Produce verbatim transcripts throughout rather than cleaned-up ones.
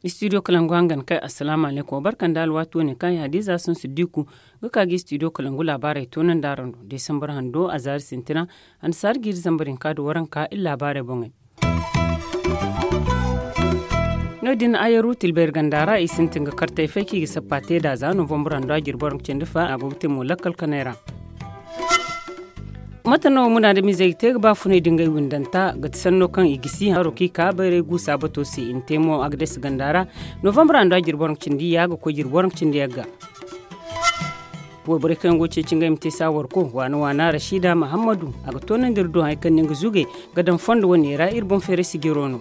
Istidiyo kalangu hangan kay, assalaamu alaykum. Wa barka nda alwaati wane kaŋ ay hadiza sun siddiku ga ka ga istidiyo kalangu laabaarey toonandi araŋ do desambar hando a zaari sintina. Annasaari jiiri zambar hinka nda waranka iri laabaarey boŋey. No- din ayaru tilbayri ganda ra i sintin ga kartey fay kaŋ i ga sappa te nd'a za novambur hando a jirbi waranka cindi fa a go ga te mo lakkal kanay ra. Mate no munaadamizey ga te ga baafunay da ngey windanta ga ti sanno kaŋ i gisi haro kaŋ i ka bayray guusa bato se i na te mo a ga dasi ganda ra. Novambur hando a jirbi waranka cindi ya ga koy jirbi waranka cindi yagga. Wayborey kaŋ yaŋ go ga ceeci ngey ma te saawarko waana waana rashida mahammadu a ga toonandi iri do hari kaŋ no nga zugey ga daŋ fondo wane ra iri boŋ feeray sijiro no.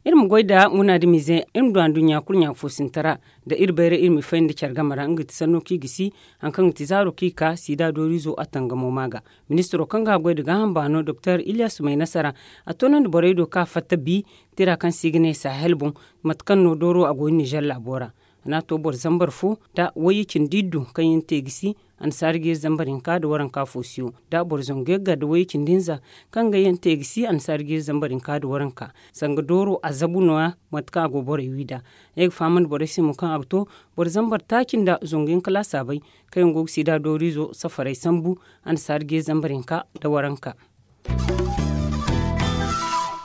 Iri ma goy nda munaadamize iri ma du anduɲɲa kulu ɲaafo sinta ra nda iri bayray iri ma fay nda care game ra nga ga ti sanno kaŋ i gisi hari kaŋ ga ti zaaro kaŋ i ka siida dooriizo a tangamo ma ga. Ministiro kaŋ ga a goy nda gaaham baano doktor iliyas may nasara a toonandi borey do kaŋ a fatta bi tira kaŋ se i ga ne sahel boŋ mate kaŋ no dooro a go nizer laabo ra. A n'a to boro zambar fo nda wayye cindi iddu kaŋ yaŋ te gisi annasaari jiiri zambar hinka nda waranka foosiyo nda boro zangu yagga nda wayye cindi hinza kaŋ ga yaŋ te gisi annasaari jiiri zambar hinka nda waranka. Sanga dooro a zabu nooya mate kaŋ a go borey wi nd'a. Ay ga fahamandi borey se mo kaŋ a ga to boro zambar taaci nda zangu yaŋ kala a saabay kaŋ yaŋ go ga siida dooriizo safarey sambu annasaari jiiri zambar hinka nda waranka.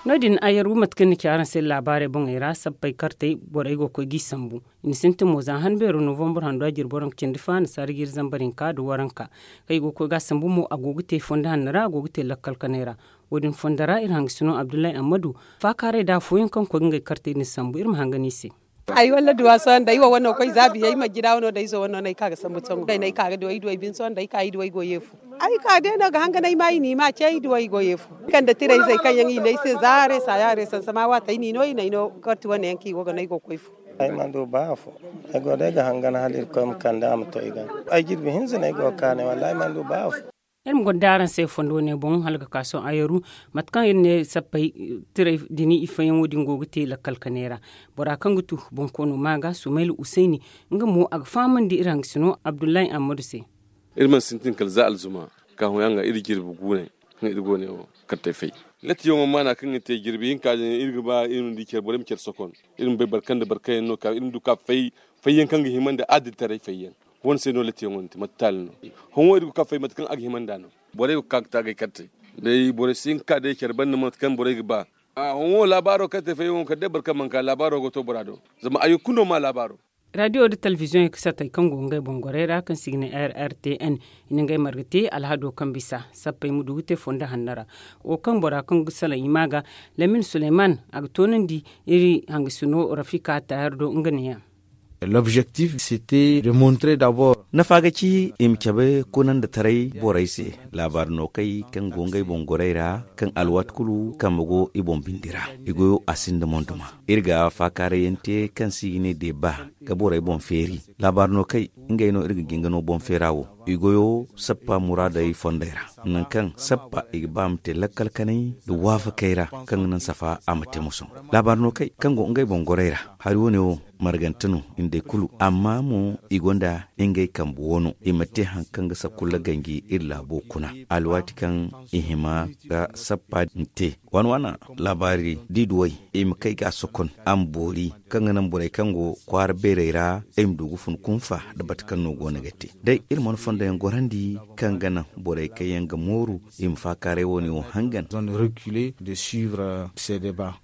No- din ayaru mate kaŋ ni ci araŋ se laabaarey boŋey ra sappey kartey borey go ga koy g'i sambu. I na sintin mo za han beero novambur hando a jirbi waranka cindi fa annasaari jiiri zambar hinka nda waranka kaŋ i go ga koy ga a sambu mo a go ga te fondo hanno ra a go ga te lakkal kanay ra. Wo- din fondo ra iri hangasino abdullahi ammadu faakaaray da afooyaŋ kaŋ ga koy ga ngey kartey din sambu iri ma hangan i se. Ay walla duwa sohõ nda ay wo wano koy za biyey majjida wano nda ay zo wano no ay ka ga sambu sangu ay no ay ka ga duw'ey duw'ey bine sohõ nda ay ka i duw'ey go yeefu. Ay ka day no ga hangan ay ma i n'i ma ce i duw'ey go yeefu. Kande tirayzey kaŋ yaŋ i ne ay se za haray saaya haray sansama waati ay n'i no i n'ay no karti wane yaŋ kaŋ i go ga no ay go ga koy fu. Ay mana du ba afo. Ay go day ga hangan hala irkoy ma kande a ma to ay ga. Ay jirbi hinza no ay go ga kaanay wallaahi ay mana du ba afo. Iri ma gonda araŋ se fondo ne boŋ hala ga ka sohõ ayaru mate kaŋ iri ne sappey tiray dini ifayyaŋo din go ga te lakkal kanay ra. Bora kaŋ ga tu bonkoono ma ga sumayla usayni nga mo a ga fahamandi iri hangasino abdullahi ammadu se. Iri mana sintin kala za alzuma ka hõ yaŋ ga iri jirbi guunay kaŋ iri go ne wo kartey fay. Latiyaŋo maana kaŋ ga te jirbi hinka din iri ga ba iri ma di care borey ma care sokon iri ma bay barkanda barkayaŋ no ka iri ma du ka fay. Fayyaŋ kaŋ ga hima nda adilitaray fayyaŋ. Wane se no latiyaŋo ni te mate taali no? Hõ wo iri go ga ka fay mate kaŋ a ga hima nd'a no. Borey go ga ka ga taagay kartey day borey si hin ga ka day care banda mate kaŋ borey ga ba. Hõ wo laabaaro kaŋ te fayyaŋo kala day boro kaŋ mana ka laabaaro go to bora do. Zama ay ga kulu no ma laabaaro. Raadiyo nda telebiziyoŋey ga satay kaŋ go ngey boŋ gorey ra kaŋ se i ga ne r r t n i na ngey marga te alhado kaŋ bisa sappey ma du ga te fondo hanno ra. Wo kaŋ bora kaŋ ga salaŋ i ma ga lamin suleyman a ga toonandi iri hangasino rafika tayar do nga neeya. L'objectif c'était de montrer d'abord. Nafa ga ci i ma cabe kunandataray borey se laabaari no kay kaŋ go ngey boŋ gorey ra kaŋ alwaati kulu kambe go i boŋ bindi ra. I goyo a sinda monduma iri ga faakaarayyaŋ te kaŋ se i ga ne deba ga borey boŋ feeri. Laabaari no kay ngey no iri ga jinga no boŋ feera wo. I goyo sappa muraadey fondey ra nangu kaŋ sappa i ga ba ma te lakkal kanay nda waafakey ra kaŋ ga naŋ safa a ma te mosoŋ. Laabaari no kay kaŋ go ngey boŋ gorey ra hari wane wo margante no nda i kulu amma mo i gonda ngey kambe wano i ma te hari kaŋ ga sakulla ganji iri laabo kuna alwaati kaŋ i hima ga sappa din te. Waana waana laabaari da i duw'ey i ma kay ga a sokon a ma boori kaŋ ga naŋ borey kaŋ go kwaara beerey ra i ma du ga fun kunfa nda bate kaŋ no go no ga te day iri mana fondoyaŋ gorandi kaŋ ga naŋ borey kaŋ yaŋ ga mooru i ma faakaaray wane wo hangan. Zone reculée de suivre ces débats.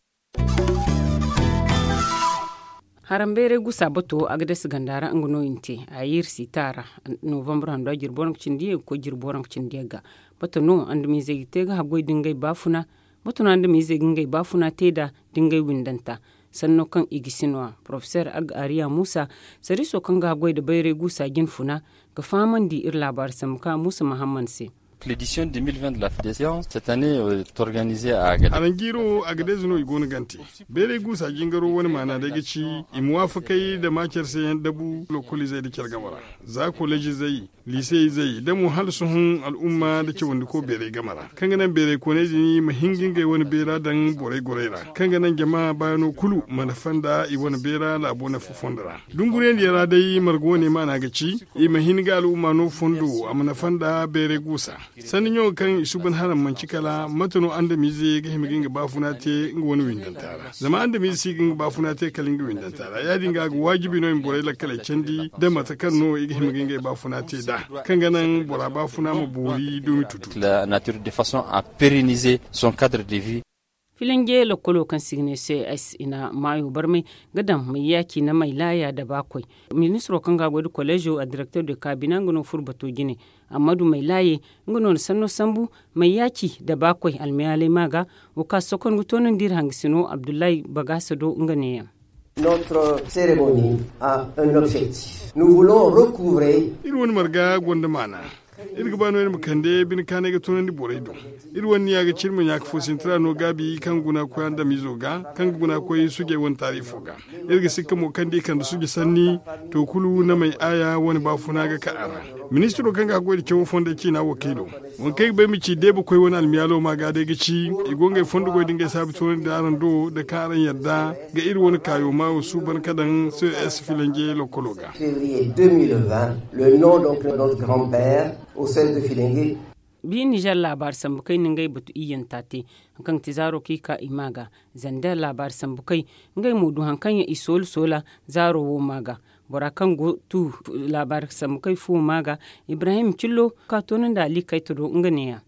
Harambeeray gusa bato a ga dasi ganda ra nga no i na te a ye iri siita ra. Novambur hando a jirbi waranka cindi ye ga koy jirbi waranka cindi ye ga bato no andamiizey ga te ga haggoy da ngey baafuna. Bato no andamiizey ga ngey baafuna te nd'a da ngey windanta sanno kaŋ i ga si no- ya porofeseer agga ariya muusa sariiso kaŋ ga haggoy nda bayray gusa jinfuna ga fahamandi iri laabaari sambu kaŋ a muusa mahamman se. L'édition deux mille vingt de la fédération cette année est organisée à Agadez. Aranjiiro a ga deeze no i go no gante. Beeray guusa jingaro wane maana day ga ci i ma waafakay nda maacar se yaŋ dabu lokoliizey nda care game ra, za kolejizey, liiseyzey nda mo hala sohõ al'umma nda cawandiko beeray game ra, kaŋ ga naŋ beeray kooney din ma hin ga ngey wane beera daŋ borey gorey ra, kaŋ ga naŋ jama baayano kulu ma nafa nda i wane beera laabo nafa fondo ra. Dunguriyandiyaŋ ra day marga wane maana ga ci i ma hin ga al'umma no fondo a ma nafa nda beeray guusa. Sanni ɲo kaŋ i suuban haraŋ manci kala mate no andamize ga hima ga nga baafuna te nga wane windanta ra. Zama andamize si ga nga baafuna te kala nga windanta ra ya- din ga a ga waajibi no i ma borey lakkaley candi nda mate kaŋ no i ga hima ga ngey baafuna te nd'a, kaŋ ga naŋ bora baafuna ma boori dumi tutu. La nature de façon à pérenniser son cadre de vie. Filinge lakkolo kaŋ se i ga ne ces i na maayo barmay ga daŋ mayyaaci na maylaaya da baakoy. Ministiro kaŋ ga a goy nda koleezo a direkter de kabina nga no furo bato jine. Ammadu maylaaye nga no na sanno sambu mayyaaci da baakoy almiyaalay ma ga. Wo kaŋ a sokon ga toonandi iri hangasino abdullahi bagaasa do nga neeyaŋ. Notre cérémonie a un objectif. Nous voulons recouvrer. Iri wane marga gonda maana. Iri ga ba no iri ma kande bine kaanay ga toonandi borey do. Iri wane niya ga ci iri ma ɲaaka fo sintina no gaabi kaŋ guna koy andamizo ga kaŋ ga guna koy sujey wane taarifo ga. Iri ga sikka mo kaŋ da i kande suja sanni to kulu namey aaya wane baafuna ga ka a ra. Ministiro kaŋ ga a goy nda cawo fondey ciina wakiilo, waŋ kaŋ ay ga ba ay ma ci deebakoy wane almiyaalo ma ga day ga ci i go ngey fondo goy da ngey saabi toonandi araŋ do da kaŋ araŋ yadda ga iri wane kaayo maayo suuban ka daŋ ces filanje lokolo ga. Février deux mille vingt, le nom donc de notre grand père au sel de filinge. Bi nizer laabaari sambu kay na ngey batu iyyanta te, haŋ kaŋ ga ti zaaro kaŋ i ka i ma ga zander laabaari sambu kay. Ngey mo du haŋ kaŋ yaŋ i soola soola zaaro wo ma ga. Bora kaŋ go tu laabaari sambu kay fuwo ma ga. Ibrahim cillo ka toonandi ali kayta do nga neeya.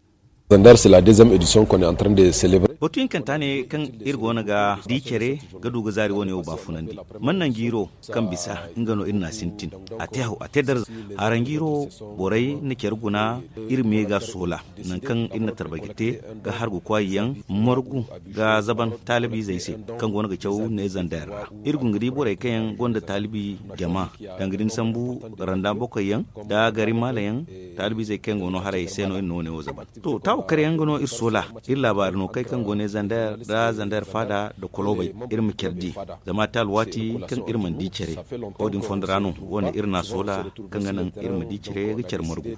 Zander c'est la deuxième édition qu'on est en train de célébrer. Batu hinkanta ne kaŋ iri go no ga di care ga du ga zaari wane wo baafunandi. Man naŋ jiiro kaŋ bisa nga no iri n'a sintin. A te haw a te darza. Haranjiiro borey na care guna iri me ga soola. Nangu kaŋ iri na tarbay ga te ga hargu kwaayi yaŋ margu ga zaban taalibiizey se kaŋ go no ga caw ne zander ra. Iri go ga di borey kaŋ yaŋ gonda taalibi jama danga da ni sambu randa bokoy yaŋ da gari maala yaŋ. Taalibiizey kaŋ go no haray se no iri na wane wo zaban. To taawo kare yaŋ ga no iri soola iri laabaari no kay kaŋ go ne zander da zander faada da kolobey. Iri ma care di zama te alwaati kaŋ iri mana di care. Wo- din fondo ra no wane iri n'a soola kaŋ ga naŋ iri ma di care ga care margu.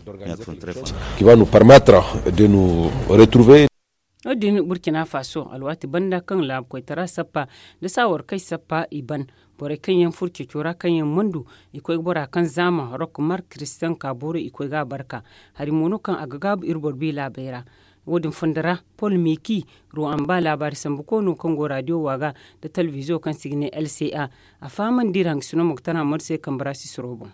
Qui va nous permettre de nous retrouver. No- din burkina faso alwaati banda kaŋ laabu koytara sappa da saawar kay sappa i ban. Borey kaŋ yaŋ furo ceeco ra kaŋ yaŋ mandu i koy ga bora kaŋ zaama rok mark christian ka booro i koy ga a barka. Hari mo no kaŋ a ga gaabu iri boro bi laabey ra. Wo- din fondo ra pol miki ruwan ba laabaari sambu koono kaŋ go radio waaga da talbizo kaŋ se i ga ne lca. A fahamandi iri hangasino mo ga tana mor se kambe ra sisiro boŋ.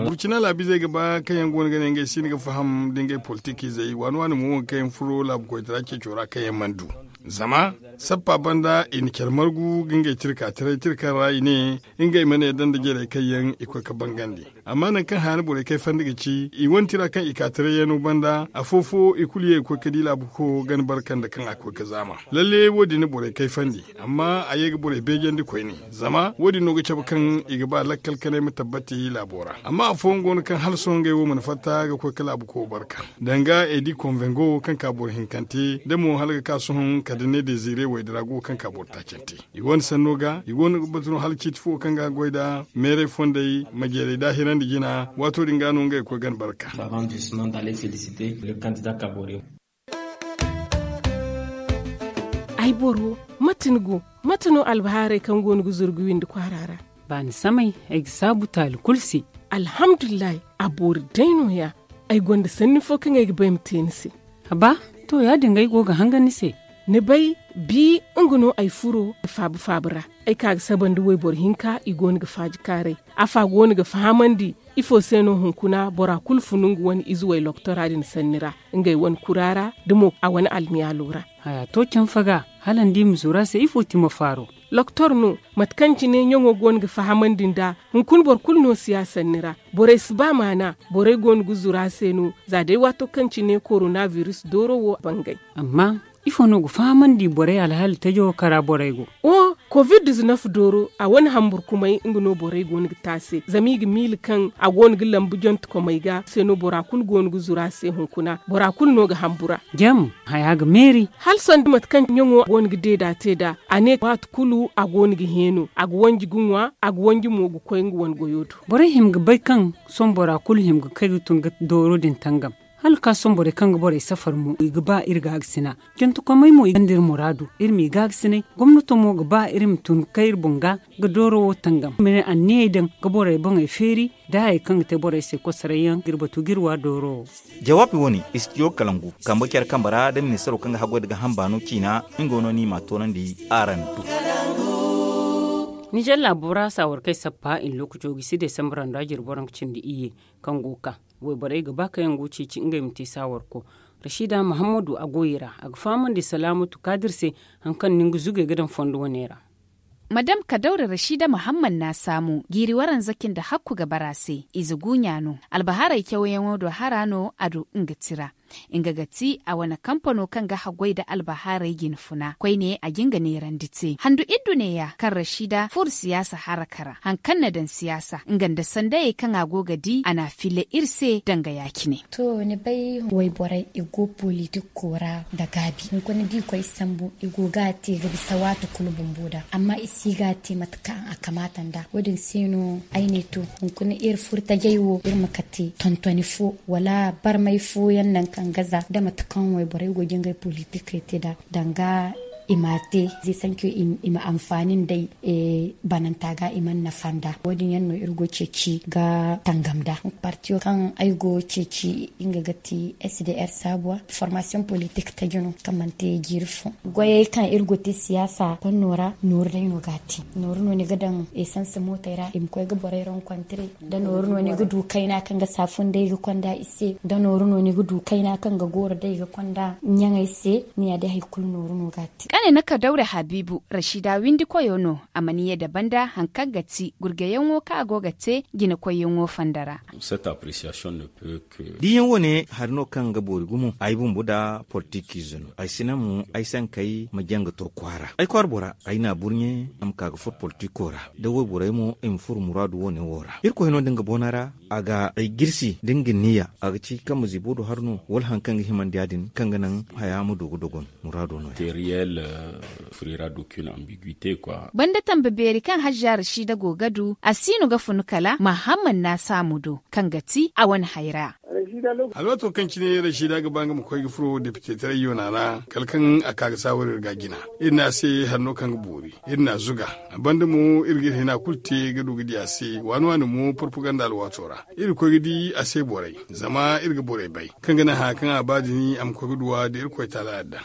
Burkina laabizey ga ba kaŋ yaŋ go no ga ne ngey si no ga faham da ngey politikiizey waani waani mo wo kaŋ yaŋ furo laabu koytara ceeco ra kaŋ yaŋ mana du. Zama sappa banda i na care margu ga ngey tirka taray tirka ra i ne ngey ma ne danda jarey kaŋ yaŋ i koy ga bangandi. Amma nangu kaŋ haani borey kayfandi ga ci i wane tira kaŋ i ka taray yaŋo banda afo fo i kulu ye ga koy ga di laabu ko gana barka nda kaŋ a koy ga zaama. Lalle wo- din na borey kayfandi. Amma a ye ga borey beejandi koyne zama wo- din no ga cabe kaŋ i ga ba lakkal kanay ma tabbati laabo ra amma afooyaŋ go no kaŋ hala sohõ ngey wo mana fatta ga koy ga laabu ko barka. Danga edi konvengo kaŋ ka boro hinkante da mo hala ga ka sohõ kala da ne dezire waydira go kaŋ ka boro taacante. I wane sanno ga i go no ga batu no hala ciiti fo kaŋ ga goy nda meeray fondey majeeray daahirandi jina waato din ga no ngey ga koy gana barka. Ay boro, mate ni go? Mate no albahaarey kaŋ go no ga zuru ga windi kwaara ra? Baani samay ay ga saabu taali kulu se. Alhamdulillahi, a boori day no- ya. Ay gonda sanni fo kaŋ ay ga ba ay ma te ni se. Haba, to ya- din ga ay go ga hangan ni se. Ni bay, bi nga no ay furo ga faabu faabu ra. Ay ka ga saba nda wayboro hinka i go no ga faaji kaaray. Afa go no ga fahamandi ifo se no hunkuna bora kulu funu nga wane ize way loktora din sanni ra, ngey wane kura ra da mo a wane almiyaalo ra. Haya to canfa ga hala ni di ma zuru a se ifo ti ma faaro? Loktor no, mate kaŋ cine ɲaŋo go no ga fahamandi nd'a. Hunkuna boro kulu no si ya sanni ra. Borey si ba maana. Borey go no ga zuru a se no. Za day waato kaŋ cine koronabiris dooro wo bangay. Amma ifo no ga fahamandi borey alhaali tajo kara borey go? Oho. Covid diznef dooro a wane hamburkumay nga no borey go no ga te a se zama i ga miila kaŋ a go no ga lambu jantekomey ga se no bora kulu go no ga zuru a se hunkuna bora kulu no ga hambura. Jam haya ga meeri. Hala sanda mate kaŋ ɲaŋo go no ga deeda te nd'a a ne waati kulu a go no ga heeno a ga wanji ga ŋwa a ga wanji mo ga koy nga wane goyo do. Borey hima ga bay kaŋ sohõ bora kulu hima ga kay ga tun ga dooro din tangam. Hala ga ka sohõ borey kaŋ ga borey safar mo i ga ba iri gaagasina jantekomey mo i gonda iri muraadu. Iri m'i gaagasina gomnato mo ga ba iri ma tun ga kay iri boŋ ga ga dooro wo tangam ma ne anniyey daŋ ga borey boŋey feeri da hayey kaŋ ga te borey se kosoray yaŋ ga iri batu ga iri wa dooro wo. Jawaabi wane istidiyo kalangu kambe care kambe ra da ministaro kaŋ ga haggoy nda ga hamba no ciina nga no no i m'a toonandi araŋ do. Nizer laabo ra saawar kaŋ ay sappa i na lookaco gisi desambar ra nda jirbi boro nga cindi iyye kaŋ go ga ka wayborey ga ba kaŋ yaŋ go ga ceeci ngey ma te saawarko. Rasiida mahammadu a go i ra a ga fahamandi salaamatu kaadir se hari kaŋ no nga zugey ga daŋ fondo wane ra. Madam kadawra rasiida mahammad na saamu jiiri waranza cindi hakku ga bara se ize guuɲa no. Albahaarey cawyaŋo do hara no a du nga tira. Nga ga ti a wane kampano kaŋ ga haggoy nda albahaarey jinfuna koyne a jin ga neerandi te handu iddu neeya kaŋ rasiida furo siyaasa haraka ra hari kaŋ na daŋ siyaasa nga nda sandayey kaŋ a go ga di a n'a filla iri se danga ya- cine. To ni bay wayborey i go politik koora nda gaabi hunkuna da i koy sambu i go ga a te ga bisa waati kulu bumbo da amma i si ga a te mate kaŋ a kamaata nd'a wo- din se no ay ne to hunkuna iri furo tajey wo iri ma kate tontoni fo wala barmay fooyaŋ nangu kaŋ ga za da mate kaŋ wayborey go ga ngey politikey te nd'a danga i m'a te zay sanco i ma anfaani nd'ey bananta ga i mana nafa nd'a wo- din yaŋ no iri go ga ceeci ga tangam nd'a. Partiyo kaŋ ay go ga ceeci nga ga ti sdr saabuwa formasiyoŋ politik taji no kaŋ mana te jiiri fo goyey kaŋ iri go ga te siyaasa konno ra nooru day no ga a te. Nooru no ni ga daŋ esans mootey ra i ma koy ga borey rankontire da nooru no ni ga du kayna kaŋ ga saafu nd'ey ga konda i se da nooru no ni ga du kayna kaŋ ga gooro day ga konda ɲaŋey se ni ya day hari kulu nooru no ga a te. Kane na kadawra habiibu rasiida windi koyo no a mana ye da banda hari kaŋ ga ti gurgayaŋo kaŋ a go ga te jinakoyyaŋo fonda ra. Diyaŋ wane hari no kaŋ ga boori gumo ay bumbo nda politikiize no ay si naŋ mo ay sankey ma jaŋ ga to kwaara ay kwaara bora ay n'a burɲe a ma ka ga furo politiko ra da wayborey mo i ma furo muraadu wane wo ra irkoy no da nga boona ra a ga ay jirsi da nga niya a ga ci kaŋ ma ziibo du hari no wala hari kaŋ ga himandi ya-din kaŋ ga naŋ haya ma du ga dogon muraado no-ya. Banda tambe beeri kaŋ hajja rasiida go ga du a si no ga funu kala mahammad na saamu do kaŋ ga ti a wane hayra. Alwaato kaŋ cine rasiida ga ba nga ma koy ga furo depite taray yoona ra kala kaŋ a ka ga saawar iri ga jina iri ne a se hari no kaŋ ga boori iri n'a zuga. A banda mo iri ga iri hina kulu te ga du ga di a se waani waani mo porpaganda alwaato ra iri ga koy ga di a se borey zama iri ga borey bay kaŋ ga naŋ haya kaŋ a ba din a ma koy ga duw'a da irkoy taala yadda.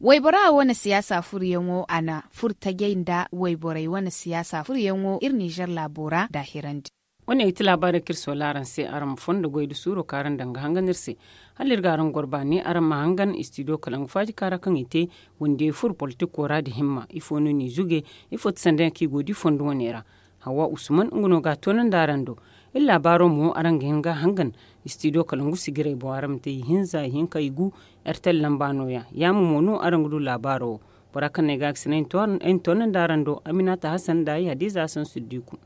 Waybora wane siyaasa furuyaŋo a na furo tajey nda wayborey wane siyaasa furuyaŋo iri nizer laabo ra daahirandi. Wane ga ti laabaarey kaŋ iri soola araŋ se araŋ ma fondo goy nda suuro kaŋ araŋ daŋ ga hangan iri se. Hala iri ga araŋ goro baani araŋ ma hangan istidiyo kalangu faaji kaŋ ra kaŋ i te wandiyey furo politiko ra nda himma ifo no n'i zuge? Ifo ti sanda yaŋ kaŋ i go ga di fondo wane ra? Hawa usman nga no ga a toonandi araŋ do. Iri laabaaro mo araŋ ga hin ga a hangan istidiyo kalangu sijirey boŋ araŋ ma te ihinza ihinka igu. Ertel lamba no- ya yaamo mo no araŋ ga du laabaaro wo. Bora kaŋ no ay ga a ga sina ay na toonandi araŋ do aminata hasan nda ay hadiza hasan suddiku.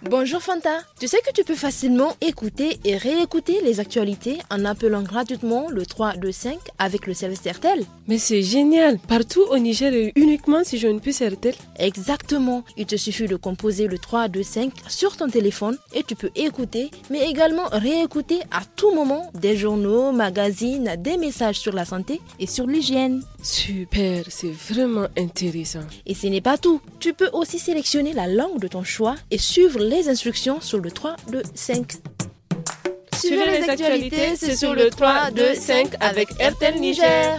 Bonjour Fanta, tu sais que tu peux facilement écouter et réécouter les actualités en appelant gratuitement le trois deux cinq avec le service Airtel. Mais c'est génial. Partout au Niger et uniquement si j'ai une puce Airtel. Exactement. Il te suffit de composer le trois deux cinq sur ton téléphone et tu peux écouter mais également réécouter à tout moment des journaux, magazines, des messages sur la santé et sur l'hygiène. Super, c'est vraiment intéressant. Et ce n'est pas tout. Tu peux aussi sélectionner la langue de ton choix et suivre les instructions sur le trois deux cinq. Suivez les actualités, c'est sur le trois deux cinq avec Airtel Niger.